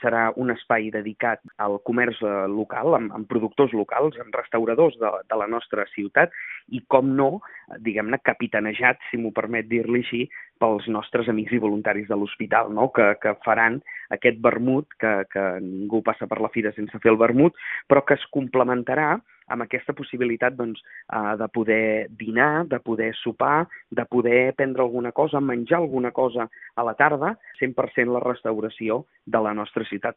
serà un espai dedicat al comerç local, amb productors locals, amb restauradors de la nostra ciutat i, com no, diguem-ne, capitanejat, si m'ho permet dir-li així, pels nostres amics i voluntaris de l'hospital, no? que faran aquest vermut, que ningú passa per la fira sense fer el vermut, però que es complementarà amb aquesta possibilitat doncs, de poder dinar, de poder sopar, de poder prendre alguna cosa, menjar alguna cosa a la tarda, 100% la restauració de la nostra ciutat.